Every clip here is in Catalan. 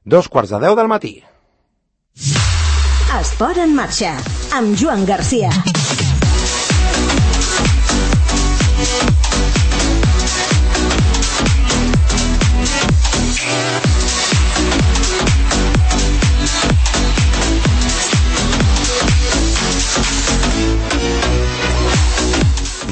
2:45 del matí. Esport en marxa, amb Joan Garcia.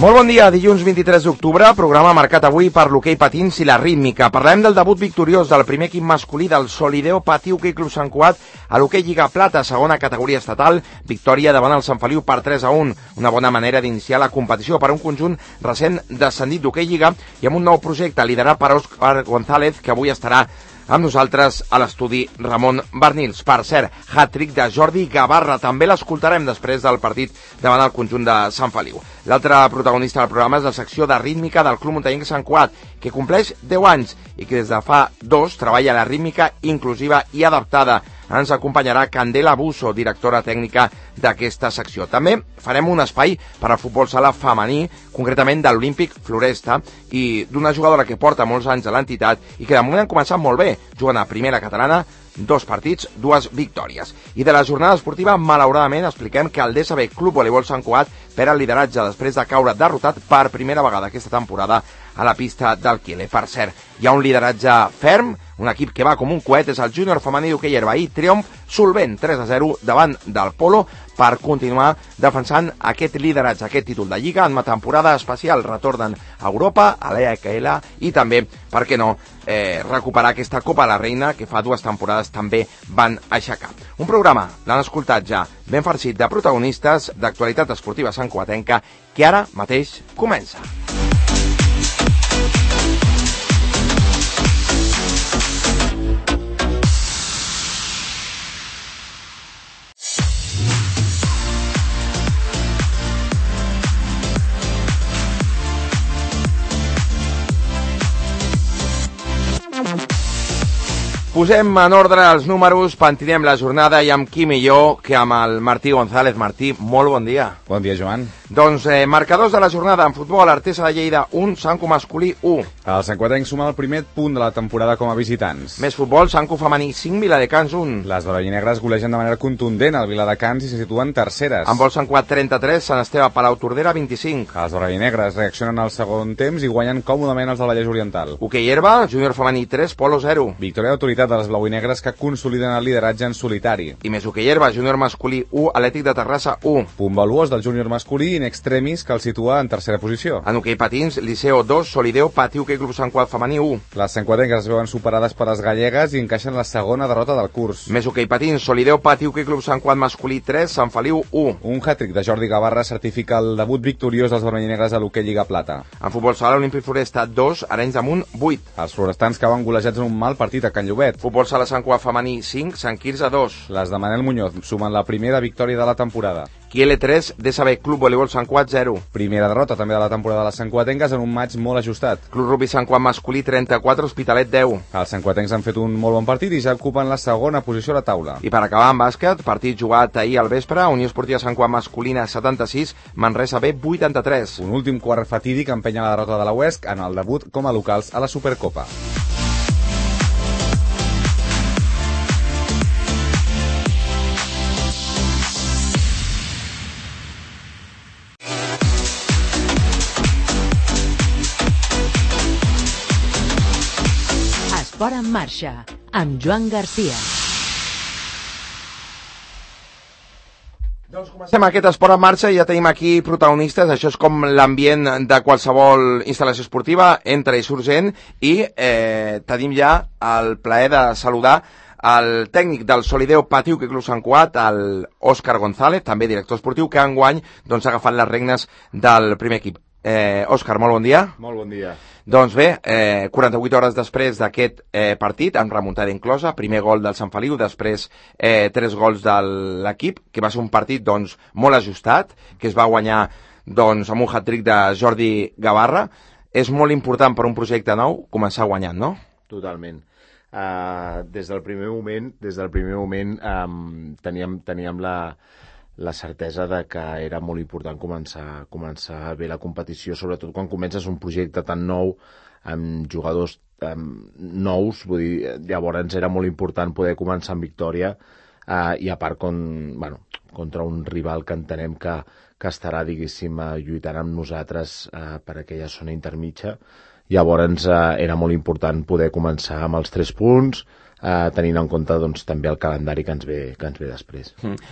Molt bon dia, dilluns 23 d'octubre, programa marcat avui per l'hoquei patins i la rítmica. Parlem del debut victoriós del primer equip masculí del Solideo Patí Hoquei Club Sant Cugat a l'hoquei Lliga Plata, segona categoria estatal, victòria davant el Sant Feliu per 3-1. Una bona manera d'iniciar la competició per un conjunt recent descendit d'hoquei Lliga i amb un nou projecte liderat per Òscar González, que avui estarà amb nosaltres a l'estudi Ramon Barnils. Per cert, hat-trick de Jordi Gavarra, també l'escoltarem després del partit davant el conjunt de Sant Feliu. L'altre protagonista del programa és la secció de rítmica del Club Muntanyenc Sant Cugat, que compleix 10 anys i que des de fa 2 treballa la rítmica inclusiva i adaptada. Ens acompanyarà Candela Busso, directora tècnica d'aquesta secció. També farem un espai per al futbol sala femení, concretament de l'Olímpic Floresta, i d'una jugadora que porta molts anys a l'entitat i que de moment han començat molt bé, jugant a primera catalana, 2 partits, 2 victòries. I de la jornada esportiva, malauradament, expliquem que el DSB Club Voleibol Sant Cugat perd el lideratge després de caure derrotat per primera vegada aquesta temporada a la pista del Quiele. Per cert, hi ha un lideratge ferm, un equip que va com un coet, és el júnior femení d'hoquei herba, i triomf solvent 3-0 davant del Polo per continuar defensant aquest lideratge, aquest títol de Lliga en una temporada especial. Retornen a Europa, a l'EAKL i també, per què no, recuperar aquesta Copa de la Reina que fa 2 temporades també van aixecar. Un programa, l'han escoltat ja, ben farcit de protagonistes d'actualitat esportiva santcugatenca que ara mateix comença. Posem en ordre els números, pentinem la jornada i amb qui millor que amb el Martí González. Martí, molt bon dia. Bon dia, Joan. Doncs marcadors de la jornada en futbol, Artesa de Lleida 1, Santcu masculí 1. El santcugatenc suma el primer punt de la temporada com a visitants. Més futbol, Santcu femení 5, Viladecans 1. Les vermellinegres golegen de manera contundent al Viladecans i se situen terceres. En vol Sant Cugat 33, Sant Esteve Palau Tordera 25. Els vermellinegres reaccionen al segon temps i guanyen còmodament els del Vallès Oriental. Hoquei herba, júnior femení 3, Polo 0. Victòria d'autoritat de les blauinegres que consoliden el lideratge en solitari. I més hoquei herba, júnior masculí 1, Atlètic de Terrassa 1. Punt valuós del júnior masculí in extremis que el situa en tercera posició. En hoquei patins, Liceo 2, Solideo Patí Hoquei Club Sant Cugat femení 1. Les santcugatenques es veuen superades per les gallegues i encaixen la segona derrota del curs. Més hoquei patins, Solideo Patí Hoquei Club Sant Cugat masculí 3, Sant Feliu 1. Un hat-trick de Jordi Gavarra certifica el debut victoriós dels vermellinegres a l'hoquei Lliga Plata. En futbol sala, Olímpic Floresta 2, Arenys de Munt 8. Els florestans cauen golejats en un mal partit a Can Llobet. Futbol sala Sant Cugat femení 5, Sant Quirze 2. Les de Manel Muñoz sumen la primera victòria de la temporada. Quiele 3, DSB Club Voleibol Sant Cugat 0. Primera derrota també de la temporada de les santcugatenques en un maig molt ajustat. Club Rugby Sant Cugat masculí 34, Hospitalet 10. Els santcugatencs han fet un molt bon partit i ja ocupen la segona posició a la taula. I per acabar amb bàsquet, partit jugat ahir al vespre, Unió Esportiva Sant Cugat masculina 76, Manresa B 83. Un últim quart fatídic empenya la derrota de la UESC en el debut com a locals a la Supercopa. Esport en marxa, amb Joan Garcia. Doncs comencem aquest esport en marxa i ja tenim aquí protagonistes. Això és com l'ambient de qualsevol instal·lació esportiva, entra i surt gent, i tenim ja el plaer de saludar el tècnic del Solideo Patí Hoquei Club Sant Cugat, el Òscar González, també director esportiu, que enguany doncs, ha agafat les regnes del primer equip. Òscar, molt bon dia. Molt bon dia. Doncs bé, 48 hores després d'aquest partit, amb remuntada inclosa, primer gol del Sant Feliu, després 3 gols de l'equip, que va ser un partit doncs, molt ajustat, que es va guanyar doncs, amb un hat-trick de Jordi Gavarra. És molt important per un projecte nou començar guanyant, no? Totalment. Des del primer moment teníem la certesa de que era molt important començar bé la competició, sobretot quan comences un projecte tan nou amb jugadors nous, vull dir, llavors era molt important poder començar amb victòria, i a part contra un rival que entenem que estarà, diguéssim, lluitant amb nosaltres per aquella zona intermitja. Llavors era molt important poder començar amb els 3 punts, tenint en compte doncs, també el calendari que ens ve després.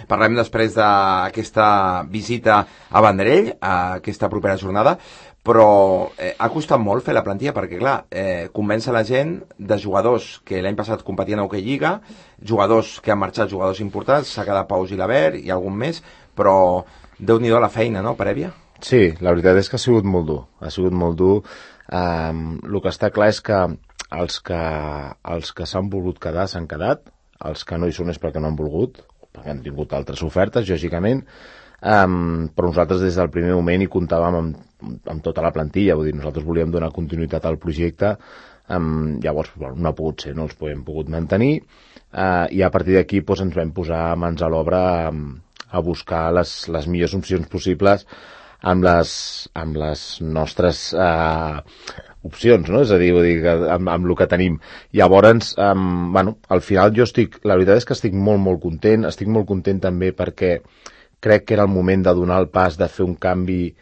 Parlem després d'aquesta visita a Vendrell, aquesta propera jornada, però ha costat molt fer la plantilla perquè, clar, convèncer la gent de jugadors que l'any passat competien a Hockey Lliga, jugadors que han marxat, jugadors importants, s'ha quedat Pau Gilabert i algun més, però Déu-n'hi-do la feina, no, prèvia? Sí, la veritat és que ha sigut molt dur. Ha sigut molt dur. El que està clar és que els que s'han volgut quedar s'han quedat, els que no hi són és perquè no han volgut, perquè han tingut altres ofertes, lògicament, però nosaltres des del primer moment hi comptàvem amb tota la plantilla, vull dir, nosaltres volíem donar continuïtat al projecte, llavors no ha pogut ser, no els hem pogut mantenir, i a partir d'aquí doncs, ens vam posar mans a l'obra a buscar les millors opcions possibles amb les nostres opcions, no? És a dir, amb el que tenim. Llavors, al final la veritat és que estic molt, molt content. Estic molt content també perquè crec que era el moment de donar el pas, de fer un canvi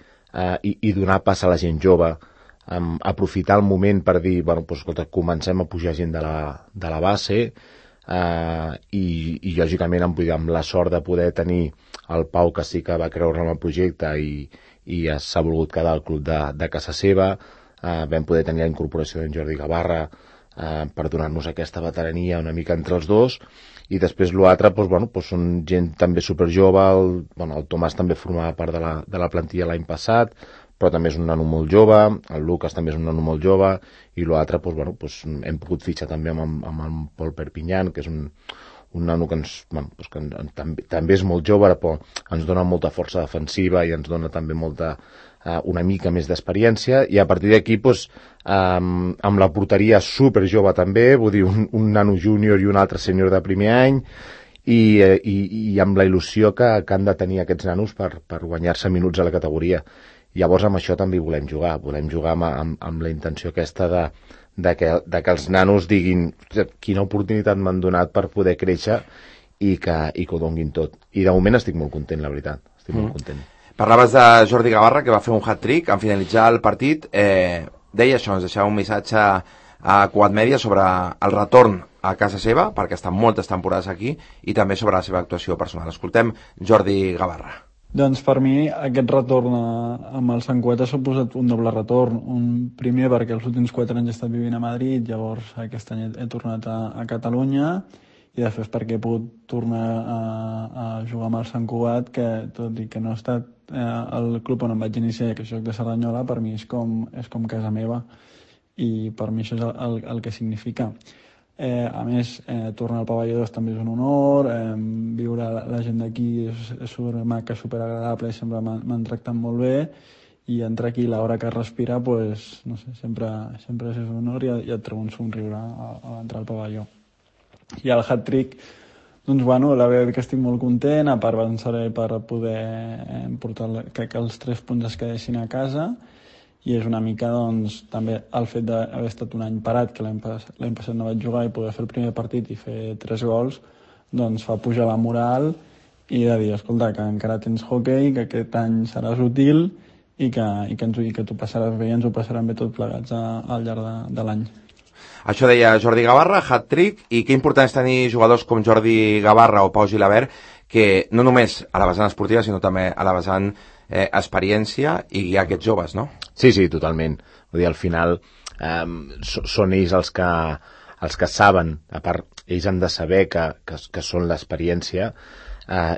i donar pas a la gent jove, aprofitar el moment per dir, escolta, comencem a pujar gent de la base, i lògicament amb la sort de poder tenir el Pau, que sí que va creure en el projecte i s'ha volgut quedar al club de casa seva. Vam poder tenir la incorporació d'en Jordi Gavarra per donar-nos aquesta veterania una mica entre els dos, i després l'altre són gent també superjove. El Tomàs també formava part de la plantilla l'any passat, però també és un nano molt jove, el Lucas també és un nano molt jove, i l'altre hem pogut fitxar també amb el Pol Perpinyan, que és un nano que també és molt jove, però ens dona molta força defensiva i ens dona també una mica més d'experiència, i a partir d'aquí amb la porteria super jove també, vull dir, un nano júnior i un altre sènior de primer any, i amb la il·lusió que han de tenir aquests nanos per guanyar-se minuts a la categoria. Llavors amb això també volem jugar amb la intenció aquesta de que els nanos diguin quina oportunitat m'han donat per poder créixer i que ho donguin tot. I de moment estic molt content, la veritat. Estic molt content. Parlaves de Jordi Gavarra, que va fer un hat-trick en finalitzar el partit. Deia això, ens deixava un missatge a Quad Media sobre el retorn a casa seva, perquè estan moltes temporades aquí, i també sobre la seva actuació personal. Escoltem Jordi Gavarra. Doncs per mi aquest retorn amb el Sant Cugat ha suposat un doble retorn. Un primer perquè els últims 4 anys he estat vivint a Madrid, llavors aquest any he tornat a Catalunya, i després perquè he pogut tornar a jugar amb el Sant Cugat, que tot i que no ha estat el club on em vaig iniciar, que és Joc de Cerdanyola, per mi és com casa meva, i per mi això és el que significa. A més, tornar al pavelló 2 també és un honor, viure la gent d'aquí és supermaca, superagradable, i sempre m'han tractat molt bé, i entrar aquí l'hora que respira, pues, no sé, sempre és un honor, i et treu un somriure a l'entrar al pavelló. I el hat-trick, doncs bueno, la veritat que estic molt content, a part avançaré per poder portar, crec que els 3 punts es quedessin a casa, i és una mica doncs, també el fet d'haver estat un any parat, que l'any passat no vaig jugar, i poder fer el primer partit i fer 3 gols, doncs fa pujar la moral i de dir, escolta, que encara tens hoquei, que aquest any seràs útil i que t'ho passaràs bé i ens ho passarem bé tots plegats al llarg de l'any. Això deia Jordi Gavarra, hat-trick, i que important és tenir jugadors com Jordi Gavarra o Pau Gilabert, que no només a la vessant esportiva, sinó també a la vessant experiència i guiar aquests joves, no? Sí, totalment. Vull dir, al final són ells els que saben, a part, ells han de saber que són l'experiència,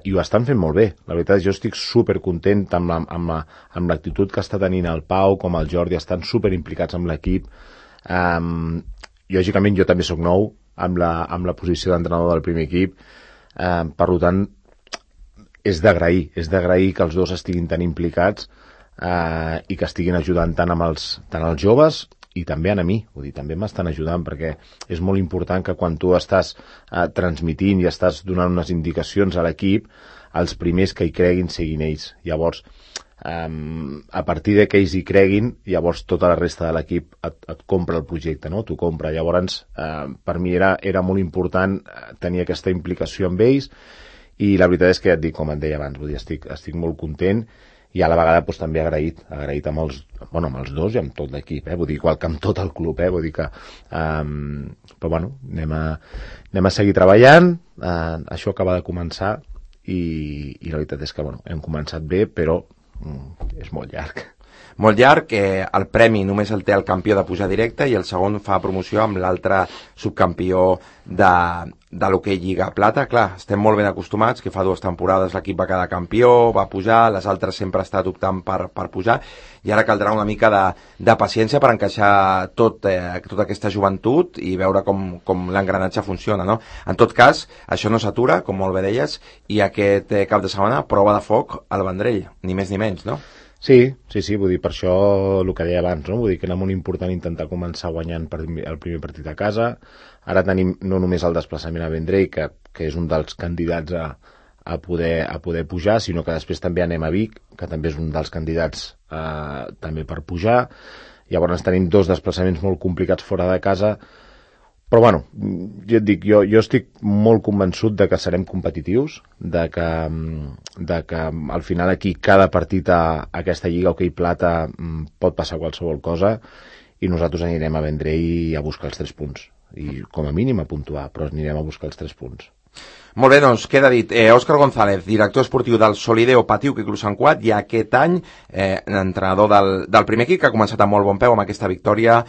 i ho estan fent molt bé. La veritat, jo estic supercontent amb l'actitud que està tenint el Pau, com el Jordi, estan superimplicats amb l'equip. Lògicament, jo també sóc nou amb la posició d'entrenador del primer equip, per tant, és d'agrair que els dos estiguin tan implicats i que estiguin ajudant tant els joves i també a mi, vull dir, també m'estan ajudant, perquè és molt important que quan tu estàs transmitint i estàs donant unes indicacions a l'equip, els primers que hi creguin siguin ells. Llavors, a partir de que ells hi creguin, llavors tota la resta de l'equip et compra el projecte, no? T'ho compra. Llavors, per mi era molt important tenir aquesta implicació amb ells, i la veritat és que ja et dic, com et deia abans, vull dir, estic molt content, i a la vegada doncs, també agraït amb els dos i amb tot l'equip, vull dir, igual que amb tot el club, vull dir que però bueno, anem a seguir treballant, això acaba de començar, i la veritat és que hem començat bé, però és molt llarg. Molt llarg, el premi només el té el campió de pujar directe i el segon fa promoció amb l'altre subcampió de l'hoquei Lliga Plata. Clar, estem molt ben acostumats que fa 2 temporades l'equip va quedar campió, va pujar, les altres sempre ha estat optant per pujar, i ara caldrà una mica de paciència per encaixar tota aquesta joventut i veure com l'engranatge funciona, no? En tot cas, això no s'atura, com molt bé deies, i aquest cap de setmana prova de foc al Vendrell, ni més ni menys, no? Sí, vull dir, per això el que deia abans, no? Vull dir que era molt important intentar començar guanyant el primer partit a casa. Ara tenim no només el desplaçament a Vendrell, que és un dels candidats a poder pujar, sinó que després també anem a Vic, que també és un dels candidats també per pujar. Llavors tenim 2 desplaçaments molt complicats fora de casa, però bueno, jo et dic, jo estic molt convençut de que serem competitius, de que al final aquí cada partit a aquesta Lliga Hoquei Plata pot passar qualsevol cosa, i nosaltres anirem a Vendrell a buscar els 3 punts, i com a mínim a puntuar, però anirem a buscar els 3 punts. Molt bé, doncs queda dit. Òscar González, director esportiu del Solideo Patí Hoquei Club Sant Cugat, i aquest any entrenador del primer equip, que ha començat amb molt bon peu amb aquesta victòria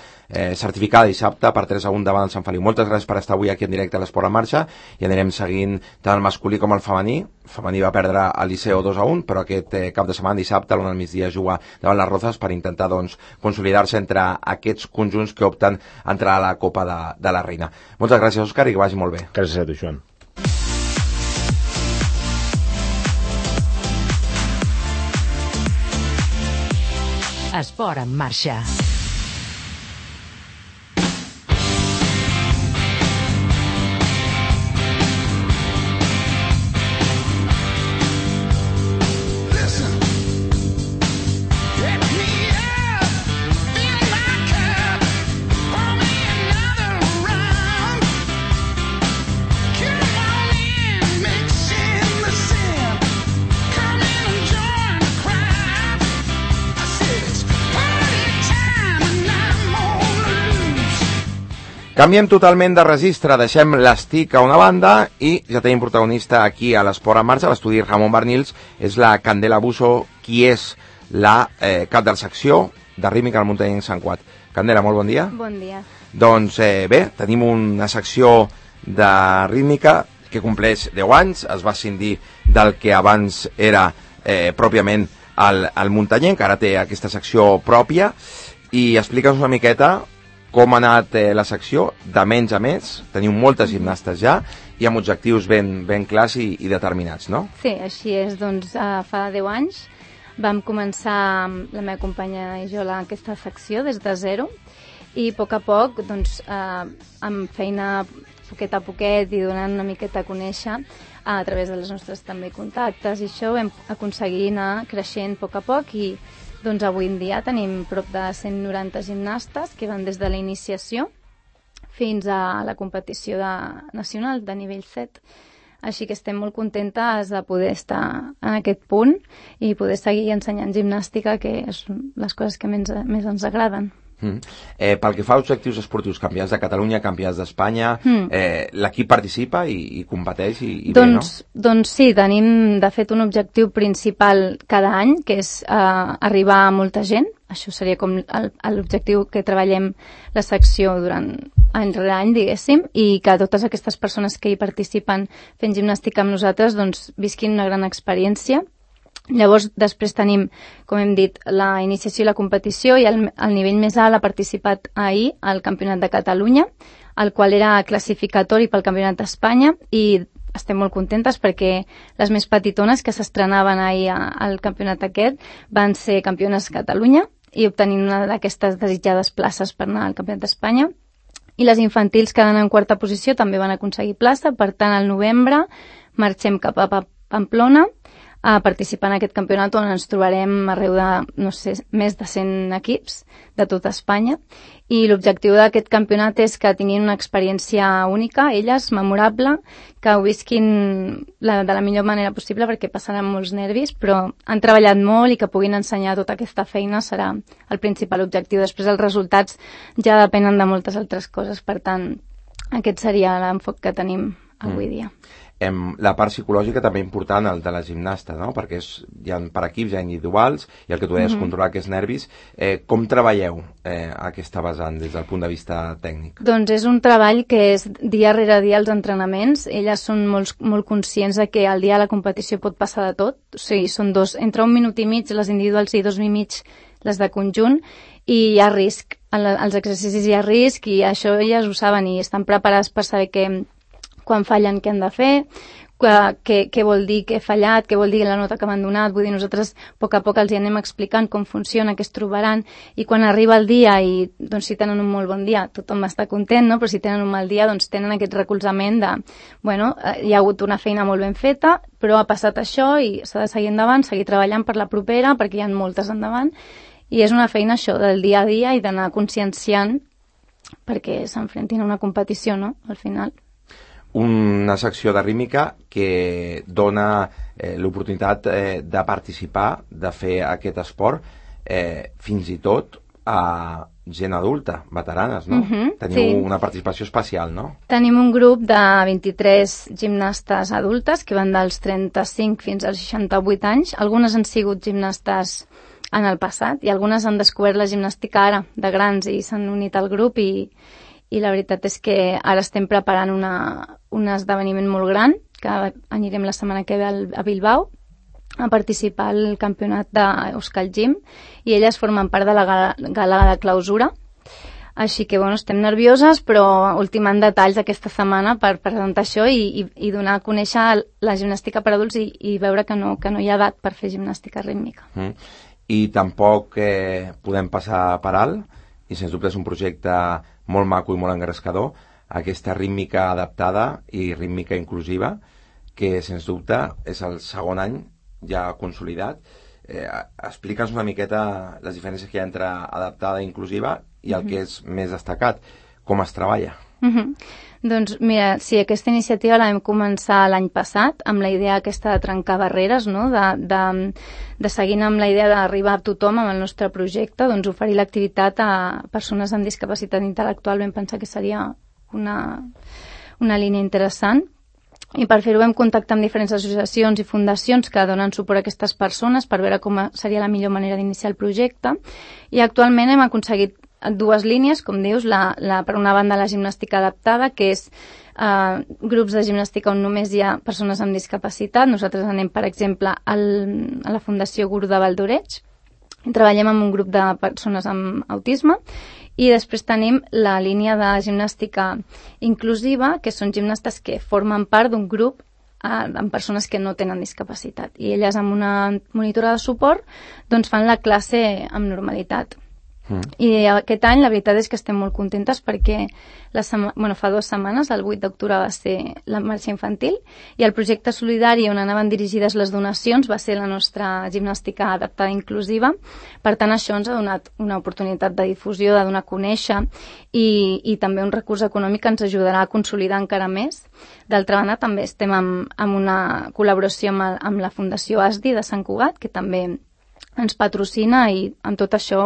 certificada dissabte per 3-1 davant el Sant Feliu. Moltes gràcies per estar avui aquí en directe a l'Esport en Marxa, i anirem seguint tant el masculí com el femení. El femení va perdre al Liceo 2-1, però aquest cap de setmana, dissabte, a l'1 del migdia, juga davant les Rozas per intentar consolidar-se entre aquests conjunts que opten a entrar a la Copa de la Reina. Moltes gràcies, Òscar, i que vagi molt bé. Gràcies a tu, Joan. Esport en Marxa. Canviem totalment de registre, deixem l'estic a una banda i ja tenim protagonista aquí a l'Esport en Marxa, a l'estudi Ramon Bernils, és la Candela Buso, qui és la cap de la secció de rítmica al muntanyenc Sant Cugat. Candela, molt bon dia. Bon dia. Doncs bé, tenim una secció de rítmica que compleix 10 anys, es va escindir del que abans era pròpiament el muntanyenc, que ara té aquesta secció pròpia, i explica'ns una miqueta com ha anat la secció, de menys a més. Teniu moltes gimnastes ja i amb objectius ben clars i determinats, no? Sí, així és. Doncs fa 10 anys vam començar la meva companya i jo aquesta secció des de zero, i a poc doncs, amb feina poquet a poquet i donant una miqueta a conèixer a través de les nostres també contactes, i això vam aconseguir anar creixent a poc, i doncs avui en dia tenim prop de 190 gimnastes que van des de la iniciació fins a la competició nacional de nivell 7. Així que estem molt contentes de poder estar en aquest punt i poder seguir ensenyant gimnàstica, que és les coses que més ens agraden. Pel que fa als objectius esportius, campionats de Catalunya, campionats d'Espanya, l'equip participa i competeix i bé, no? Doncs sí, tenim de fet un objectiu principal cada any, que és arribar a molta gent. Això seria com l'objectiu que treballem la secció durant any rere any, diguéssim, i que totes aquestes persones que hi participen fent gimnàstica amb nosaltres doncs visquin una gran experiència. Llavors, després tenim, com hem dit, la iniciació i la competició, i el nivell més alt ha participat ahir al Campionat de Catalunya, el qual era classificatori pel Campionat d'Espanya, i estem molt contentes perquè les més petitones que s'estrenaven ahir al campionat aquest van ser campiones de Catalunya i obtenint una d'aquestes desitjades places per anar al Campionat d'Espanya. I les infantils, quedant en quarta posició, també van aconseguir plaça. Per tant, al novembre marxem cap a Pamplona a participar en aquest campionat on ens trobarem arreu de, no sé, més de 100 equips de tota Espanya. I l'objectiu d'aquest campionat és que tinguin una experiència única, elles, memorable, que ho visquin de la millor manera possible perquè passaran molts nervis, però han treballat molt i que puguin ensenyar tota aquesta feina serà el principal objectiu. Després els resultats ja depenen de moltes altres coses, per tant, aquest seria l'enfoc que tenim avui dia. La part psicològica també important, el de la gimnasta, no? Perquè hi ha per equips, hi ha individuals, i el que tu deies, controlar aquests nervis. Com treballeu aquesta vessant des del punt de vista tècnic? Doncs és un treball que és dia rere dia els entrenaments. Elles són molt conscients de que el dia de la competició pot passar de tot. O sigui, són entre 1 minut i mig les individuals i 2 i mig les de conjunt, i hi ha risc. Als exercicis hi ha risc, i això elles ho saben i estan preparades per saber que quan fallen què han de fer, què vol dir que he fallat, què vol dir la nota que m'han donat. Vull dir, nosaltres a poc els hi anem explicant com funciona, què es trobaran, i quan arriba el dia i doncs, si tenen un molt bon dia tothom està content, no? Però si tenen un mal dia doncs tenen aquest recolzament de bueno, hi ha hagut una feina molt ben feta, però ha passat això i s'ha de seguir endavant, seguir treballant per la propera perquè hi ha moltes endavant, i és una feina això del dia a dia i d'anar conscienciant perquè s'enfrentin a una competició, no? Al final. Una secció de rítmica que dona l'oportunitat de participar, de fer aquest esport, fins i tot a gent adulta, veteranes, no? Teniu una participació especial, no? Tenim un grup de 23 gimnastes adultes que van dels 35 fins als 68 anys. Algunes han sigut gimnastes en el passat i algunes han descobert la gimnàstica ara, de grans, i s'han unit al grup i la veritat és que ara estem preparant un esdeveniment molt gran, que anirem la setmana que ve a Bilbao a participar al campionat d'Euskal Gym, i elles formen part de la gala de clausura. Així que, bueno, estem nervioses, però ultimant detalls aquesta setmana per presentar això i donar a conèixer la gimnàstica per adults i veure que no hi ha edat per fer gimnàstica rítmica. I tampoc podem passar per alt, i sens dubte és un projecte molt maco i molt engrescador, aquesta rítmica adaptada i rítmica inclusiva, que sens dubte és el segon any ja consolidat. Explica'ns una miqueta les diferències que hi ha entre adaptada i inclusiva i el que és més destacat, com es treballa. Doncs mira, sí, aquesta iniciativa la vam començar l'any passat amb la idea aquesta de trencar barreres, no? de seguint amb la idea d'arribar a tothom amb el nostre projecte, doncs oferir l'activitat a persones amb discapacitat intel·lectual. Vam pensar que seria una línia interessant. I per fer-ho vam contactar amb diferents associacions i fundacions que donen suport a aquestes persones per veure com seria la millor manera d'iniciar el projecte, i actualment hem aconseguit dues línies, com dius, per una banda la gimnàstica adaptada, que és grups de gimnàstica on només hi ha persones amb discapacitat. Nosaltres anem, per exemple, a la Fundació Guru de Valdoreig, i treballem amb un grup de persones amb autisme, i després tenim la línia de gimnàstica inclusiva, que són gimnastes que formen part d'un grup amb persones que no tenen discapacitat, i elles amb una monitora de suport doncs fan la classe amb normalitat. I aquest any la veritat és que estem molt contentes perquè fa 2 setmanes, el 8 d'octubre va ser la marxa infantil, i el projecte solidari on anaven dirigides les donacions va ser la nostra gimnàstica adaptada inclusiva. Per tant, això ens ha donat una oportunitat de difusió, de donar a conèixer, i també un recurs econòmic que ens ajudarà a consolidar encara més. D'altra banda, també estem amb una col·laboració amb la Fundació ASDI de Sant Cugat, que també ens patrocina, i amb tot això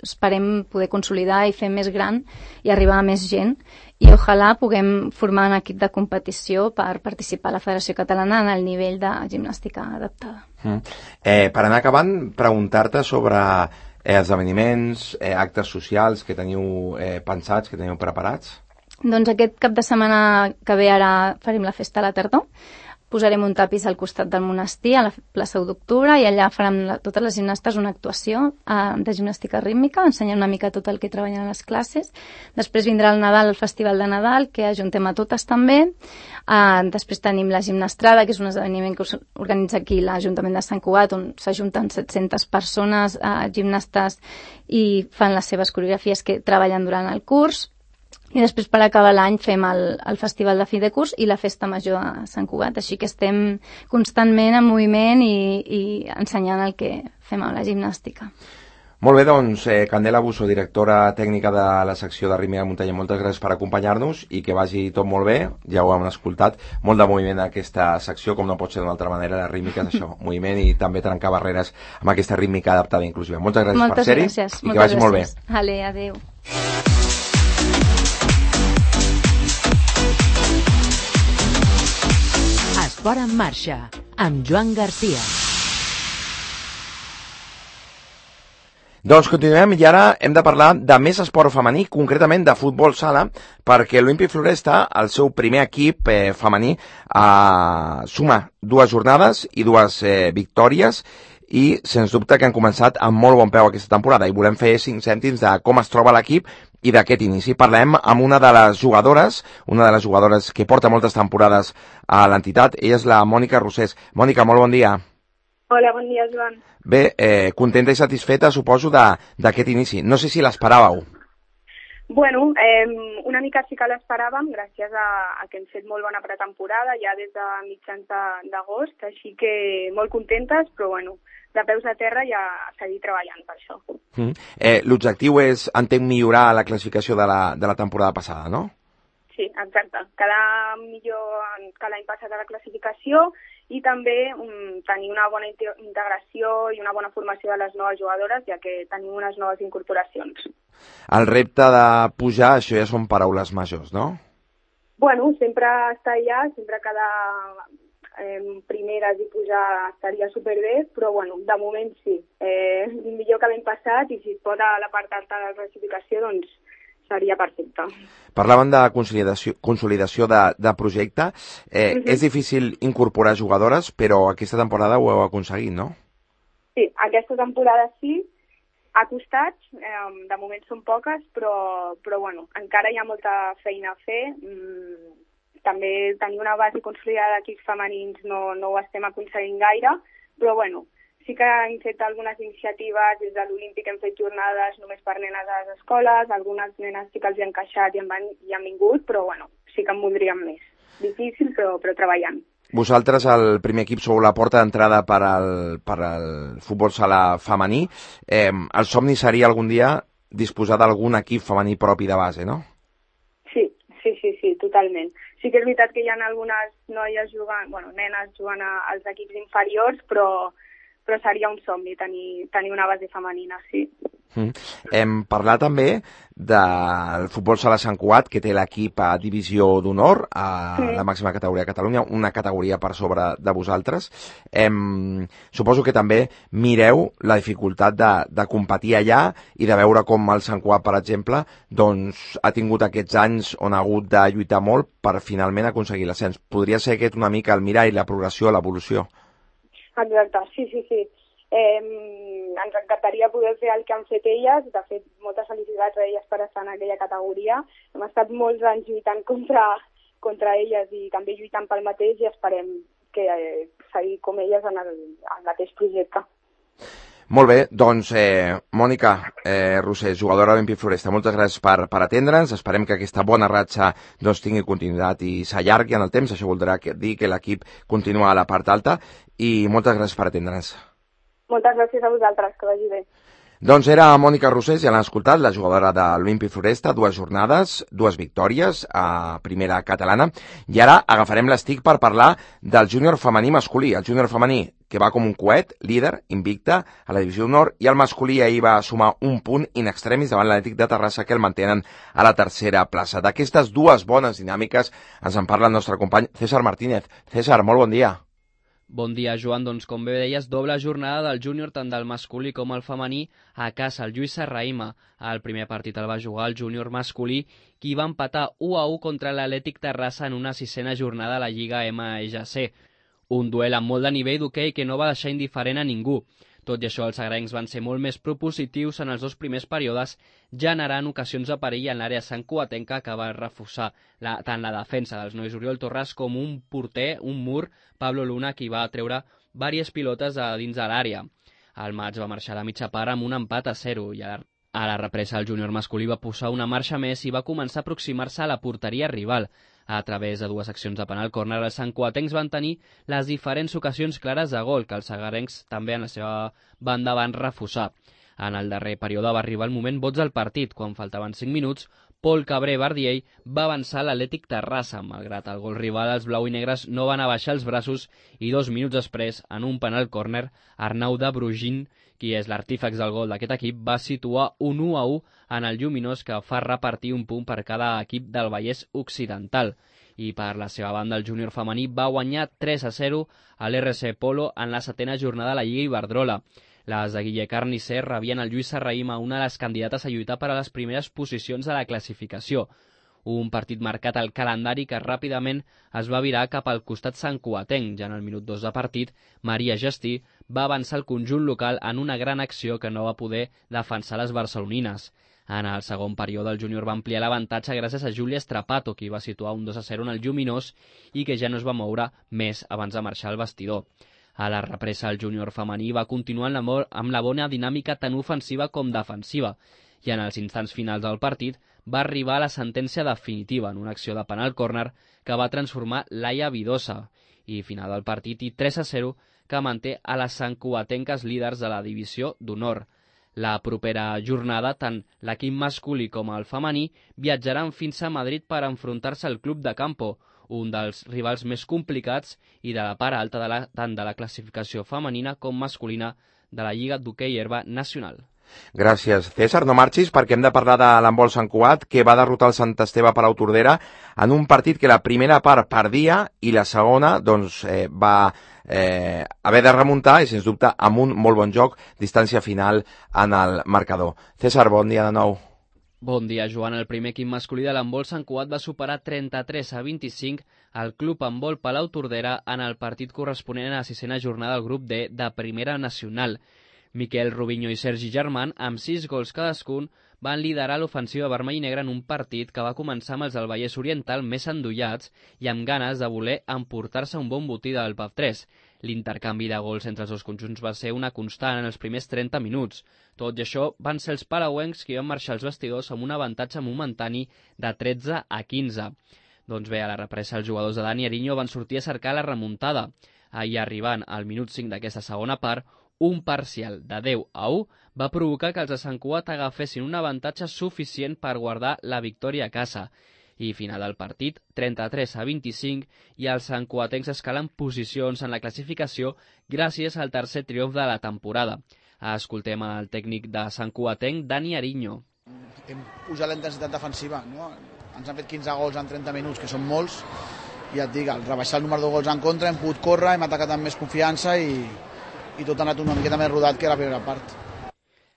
esperem poder consolidar i fer més gran i arribar a més gent, i ojalà puguem formar un equip de competició per participar a la Federació Catalana en el nivell de gimnàstica adaptada. Per anar acabant, preguntar-te sobre esdeveniments, actes socials que teniu pensats, que teniu preparats. Doncs aquest cap de setmana que ve ara farem la festa a la tardor. Posarem un tapís al costat del monestir, a la plaça 1 d'octubre, i allà farem totes les gimnastes una actuació de gimnàstica rítmica, ensenyant una mica tot el que treballen a les classes. Després vindrà el Nadal, el Festival de Nadal, que ajuntem a totes també. Després tenim la gimnastrada, que és un esdeveniment que organitza aquí l'Ajuntament de Sant Cugat, on s'ajunten 700 persones, gimnastes, i fan les seves coreografies que treballen durant el curs. i després per acabar l'any fem el festival de fi de curs i la festa major a Sant Cugat, així que estem constantment en moviment i ensenyant el que fem amb la gimnàstica. Molt bé, doncs, Candela Busso, directora tècnica de la secció de rítmica de muntanya, moltes gràcies per acompanyar-nos i que vagi tot molt bé, ja ho hem escoltat, molt de moviment en aquesta secció, com no pot ser d'una altra manera, la rítmica és això, moviment i també trencar barreres amb aquesta rítmica adaptada i inclusiva. Moltes gràcies per ser-hi i que vagi molt bé. Vale, adéu. Esport en marxa, amb Joan Garcia. Doncs continuem i ara hem de parlar de més esport femení, concretament de futbol sala, perquè l'Olímpic Floresta, el seu primer equip femení, suma 2 jornades i 2 victòries i sens dubte que han començat amb molt bon peu aquesta temporada i volem fer 5 cèntims de com es troba l'equip i d'aquest inici. Parlem amb una de les jugadores que porta moltes temporades a l'entitat, ella és la Mònica Rosés. Mònica, molt bon dia. Hola, bon dia, Joan. Bé, contenta i satisfeta, suposo, d'aquest inici. No sé si l'esperàveu. Bueno, una mica sí que l'esperàvem, gràcies a que hem fet molt bona pretemporada, ja des de mitjans d'agost, així que molt contentes, però bueno, de peus a terra ja seguir treballant per això. L'objectiu és, entenc, millorar la classificació de la temporada passada, no? Sí, exacte. Quedar millor que l'any passat a la classificació i també tenir una bona integració i una bona formació de les noves jugadores, ja que tenim unes noves incorporacions. El repte de pujar, això ja són paraules majors, no? Bueno, sempre estar allà, sempre quedar primeres i pujar estaria superbé, però bueno, de moment sí. Millor que l'any passat i si es pot a la part alta de la classificació, doncs seria perfecte. Parlaven de consolidació de projecte. És difícil incorporar jugadores, però aquesta temporada ho heu aconseguit, no? Sí, aquesta temporada sí. Ha costat, de moment són poques, però bueno, encara hi ha molta feina a fer. També tenir una base consolidada d'equips femenins no ho estem aconseguint gaire, però bueno, sí que hem fet algunes iniciatives, des de l'Olímpic hem fet jornades només per nenes a les escoles, algunes nenes sí que els hi han encaixat i han vingut, però bueno, sí que en voldríem més. Difícil, però treballant. Vosaltres, el primer equip, sou la porta d'entrada per al futbol sala femení. El somni seria algun dia disposar d'algun equip femení propi de base, no? Sí, totalment. Sí que és veritat que hi ha algunes noies jugant, nenes jugant als equips inferiors, però seria un somni tenir una base femenina, sí. Hem parlat també del futbol sala Sant Cugat, que té l'equip a divisió d'honor, a la màxima categoria de Catalunya, una categoria per sobre de vosaltres. Suposo que també mireu la dificultat de competir allà i de veure com el Sant Cugat, per exemple, doncs, ha tingut aquests anys on ha hagut de lluitar molt per finalment aconseguir l'ascens. Podria ser aquest una mica el mirall, la progressió, l'evolució. Exacte, sí. Ens encantaria poder fer el que han fet elles, de fet moltes felicitats a elles per estar en aquella categoria. Hem estat molts anys lluitant contra elles i també lluitant pel mateix i esperem que seguir com elles en el mateix projecte. Molt bé, doncs Mònica Rosés, jugadora de l'Olímpic Floresta, moltes gràcies per atendre'ns. Esperem que aquesta bona ratxa doncs, tingui continuïtat i s'allargui en el temps. Això voldrà dir que l'equip continua a la part alta i moltes gràcies per atendre'ns. Moltes gràcies a vosaltres, que vagi bé. Doncs era Mònica Rosés, ja l'han escoltat, la jugadora de l'Olímpic Floresta, 2 jornades, 2 victòries a primera catalana, i ara agafarem l'estic per parlar del júnior femení masculí, el júnior femení que va com un coet, líder, invicta, a la divisió d'honor, i el masculí ahir va sumar un punt in extremis davant l'Atlètic de Terrassa, que el mantenen a la tercera plaça. D'aquestes 2 bones dinàmiques ens en parla el nostre company César Martínez. César, molt bon dia. Bon dia, Joan. Doncs, com bé deies, doble jornada del júnior, tant del masculí com el femení, a casa. El Lluís Serrahima, el primer partit el va jugar el júnior masculí, qui va empatar 1-1 contra l'Atlètic Terrassa en una 6a jornada a la Lliga MGC. Un duel amb molt de nivell d'hoquei que no va deixar indiferent a ningú. Tot i això, els agrencs van ser molt més propositius en els 2 primers períodes, generant ocasions de perill en l'àrea santcugatenca que va reforçar tant la defensa dels nois Oriol Torres com un porter, un mur, Pablo Luna, qui va treure diverses pilotes a dins de l'àrea. El maig va marxar a la mitja part amb un empat a 0 i A la represa, el júnior masculí va posar una marxa més i va començar a aproximar-se a la porteria rival. A través de 2 accions de penal córner, els santcugatencs van tenir les diferents ocasions clares de gol, que els sagarencs també en la seva banda van refusar. En el darrer període va arribar el moment boig del partit. Quan faltaven 5 minuts, Pol Cabré Bardiell va avançar l'Atlètic Terrassa. Malgrat el gol rival, els blau i negres no van abaixar els braços i 2 minuts després, en un penal córner, Arnau de Brugin, qui és l'artífex del gol d'aquest equip, va situar un 1-1 en el Lluminós, que fa repartir un punt per cada equip del Vallès Occidental. I per la seva banda, el júnior femení va guanyar 3-0 a l'RC Polo en la 7ª jornada de la Lliga Iberdrola. Les de Guille Carnicer rebien el Lluís Serrahima, una de les candidates a lluitar per a les primeres posicions de la classificació. Un partit marcat al calendari que ràpidament es va virar cap al costat santcugatenc. Ja en el minut 2 de partit, Maria Gestí va avançar el conjunt local en una gran acció que no va poder defensar les barcelonines. En el segon període, el júnior va ampliar l'avantatge gràcies a Júlia Strapato, qui va situar un 2-0 en el Lluminós i que ja no es va moure més abans de marxar al vestidor. A la represa, el júnior femení va continuar amb la bona dinàmica tant ofensiva com defensiva, i en els instants finals del partit va arribar la sentència definitiva en una acció de penal córner que va transformar Laia Vidosa, i final del partit i 3-0 que manté a les santcugatenques líders de la divisió d'honor. La propera jornada, tant l'equip masculí com el femení viatjaran fins a Madrid per enfrontar-se al Club de Campo, un dels rivals més complicats i de la part alta tant de la classificació femenina com masculina de la Lliga d'Hoquei Herba Nacional. Gràcies, César. No marxis perquè hem de parlar de l'handbol Sant Cugat, que va derrotar el Sant Esteve Palau Tordera en un partit que la primera part perdia i la segona va haver de remuntar i, sens dubte, amb un molt bon joc, distància final en el marcador. César, bon dia de nou. Bon dia, Joan. El primer equip masculí de l'handbol Sant Cugat va superar 33-25 al Club Handbol Palau Tordera en el partit corresponent a la 6ª jornada del grup D de Primera Nacional. Miquel Rubinho i Sergi Germán, amb 6 gols cadascun, van liderar l'ofensiva vermell i negra en un partit que va començar amb els del Vallès Oriental més endollats i amb ganes de voler emportar-se un bon botí del PAF3. L'intercanvi de gols entre els dos conjunts va ser una constant en els primers 30 minuts. Tot i això, van ser els palauencs qui van marxar als vestidors amb un avantatge momentani de 13-15. Doncs bé, a la represa, els jugadors de Dani Ariño van sortir a cercar la remuntada. Ahir, arribant al minut 5 d'aquesta segona part, un parcial de 10-1 va provocar que els de Sant Cugat agafessin un avantatge suficient per guardar la victòria a casa. I final del partit, 33-25, i els santcugatencs escalen posicions en la classificació gràcies al tercer triomf de la temporada. Escoltem el tècnic de santcugatenc, Dani Ariño. Hem pujat la intensitat defensiva, no? Ens han fet 15 gols en 30 minuts, que són molts, i ja et dic, al rebaixar el número de gols en contra hem pogut córrer, hem atacat amb més confiança i tot ha anat una miqueta més rodat que la primera part.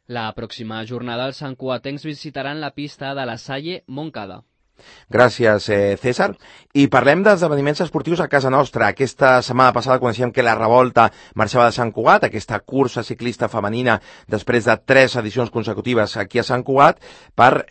La pròxima jornada els santcugatencs visitaran la pista de la Salle Montcada. Gràcies, César. I parlem d'esdeveniments esportius a casa nostra. Aquesta setmana passada coneixíem que la Revolta marxava de Sant Cugat, aquesta cursa ciclista femenina, després de 3 edicions consecutives aquí a Sant Cugat, per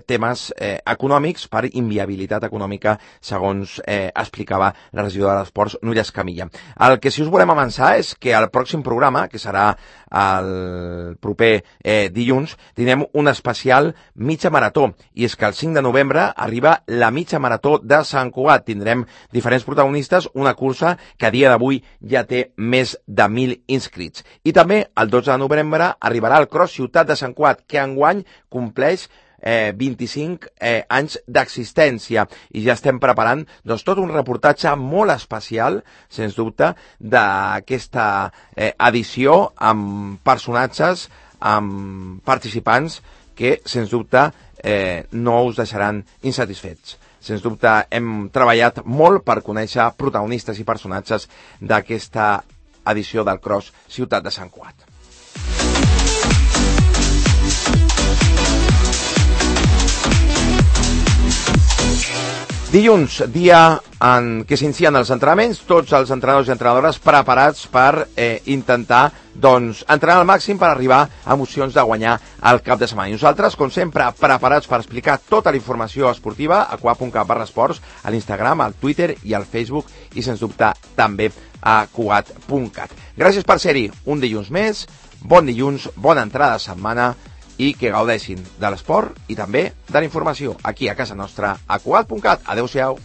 temes econòmics, per inviabilitat econòmica, segons explicava la regidora d'Esports, Núria Escamilla. El que sí us volem avançar és que al pròxim programa, que serà el proper dilluns, tindrem un especial mitja marató, i és que el 5 de novembre arriba la mitja marató de Sant Cugat. Tindrem diferents protagonistes, una cursa que a dia d'avui ja té més de 1.000 inscrits. I també el 12 de novembre arribarà el Cross Ciutat de Sant Cugat, que enguany compleix 25 anys d'existència, i ja estem preparant tot un reportatge molt especial, sens dubte, d'aquesta edició amb personatges, amb participants que, sens dubte, no us deixaran insatisfets. Sens dubte, hem treballat molt per conèixer protagonistes i personatges d'aquesta edició del Cross Ciutat de Sant Cugat. Dilluns, dia en què s'inicien els entrenaments, tots els entrenadors i entrenadores preparats per intentar entrenar al màxim per arribar a emocions de guanyar el cap de setmana. I nosaltres, com sempre, preparats per explicar tota la informació esportiva a cugat.cat/esports, a l'Instagram, al Twitter i al Facebook, i sens dubte també a cugat.cat. Gràcies per ser-hi un dilluns més, bon dilluns, bona entrada de setmana i que gaudeixin de l'esport i també de la informació aquí a casa nostra a Cugat.cat. Adéu-siau.